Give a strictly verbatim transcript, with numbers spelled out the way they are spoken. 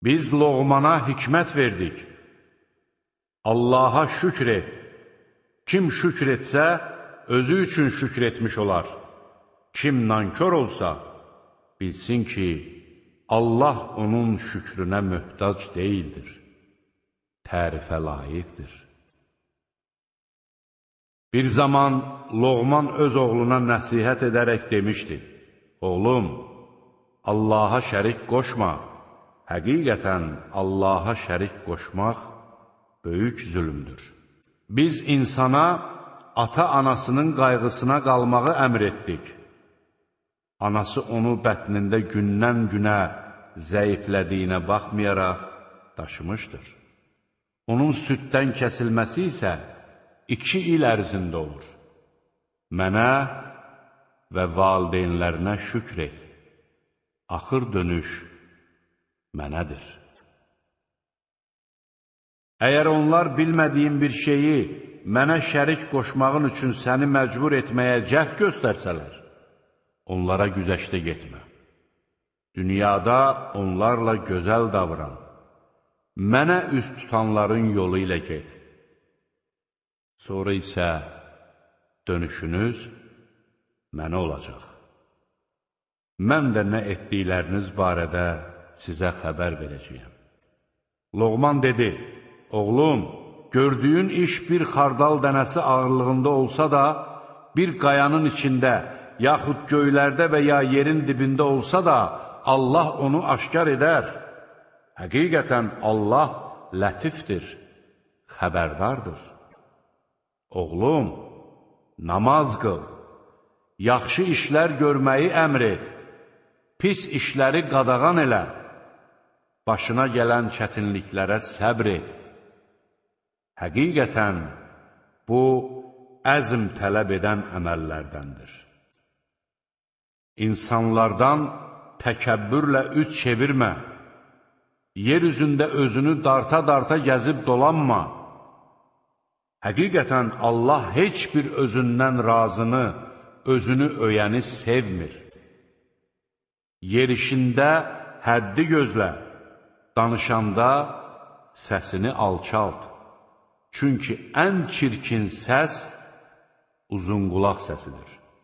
Biz Loğmana hikmət verdik. Allaha şükr et. Kim şükr etsə, özü üçün şükr etmiş olar. Kim nankör olsa, bilsin ki, Allah onun şükrünə möhtac deyildir. Tərifə layiqdir. Bir zaman Loğman öz oğluna nəsihət edərək demişdi: Oğlum, Allaha şərik qoşma. Həqiqətən Allaha şərik qoşmaq böyük zülmdür. Biz insana ata-anasının qayğısına qalmağı əmr etdik. Anası onu bətnində gündən-günə zəiflədiyinə baxmayaraq daşımışdır. Onun süddən kəsilməsi isə iki il ərzində olur. Mənə və valideynlərinə şükr et. Axır dönüş mənədir. Əgər onlar bilmədiyin bir şeyi mənə şərik qoşmağın üçün səni məcbur etməyə cəhd göstərsələr, onlara güzəşdə getmə. Dünyada onlarla gözəl davran. Mənə üst tutanların yolu ilə get. Sonra isə dönüşünüz mənə olacaq. Mən də nə etdikləriniz barədə sizə xəbər verəcəyəm. Loğman dedi: Oğlum, gördüyün iş bir xardal dənəsi ağırlığında olsa da, bir qayanın içində, yaxud göylərdə və ya yerin dibində olsa da, Allah onu aşkar edər. Həqiqətən Allah lətifdir, xəbərdardır. Oğlum, namaz qıl, yaxşı işlər görməyi əmr et, pis işləri qadağan elə, başına gələn çətinliklərə səbr et. Həqiqətən, bu, əzm tələb edən əməllərdəndir. İnsanlardan təkəbbürlə üz çevirmə, yer üzündə özünü darta-darta gəzib dolanma. Həqiqətən, Allah heç bir özündən razını, özünü öyəni sevmir. Yerişində həddi gözlə, danışanda səsini alçalt. Çünki ən çirkin səs uzunqulaq səsidir.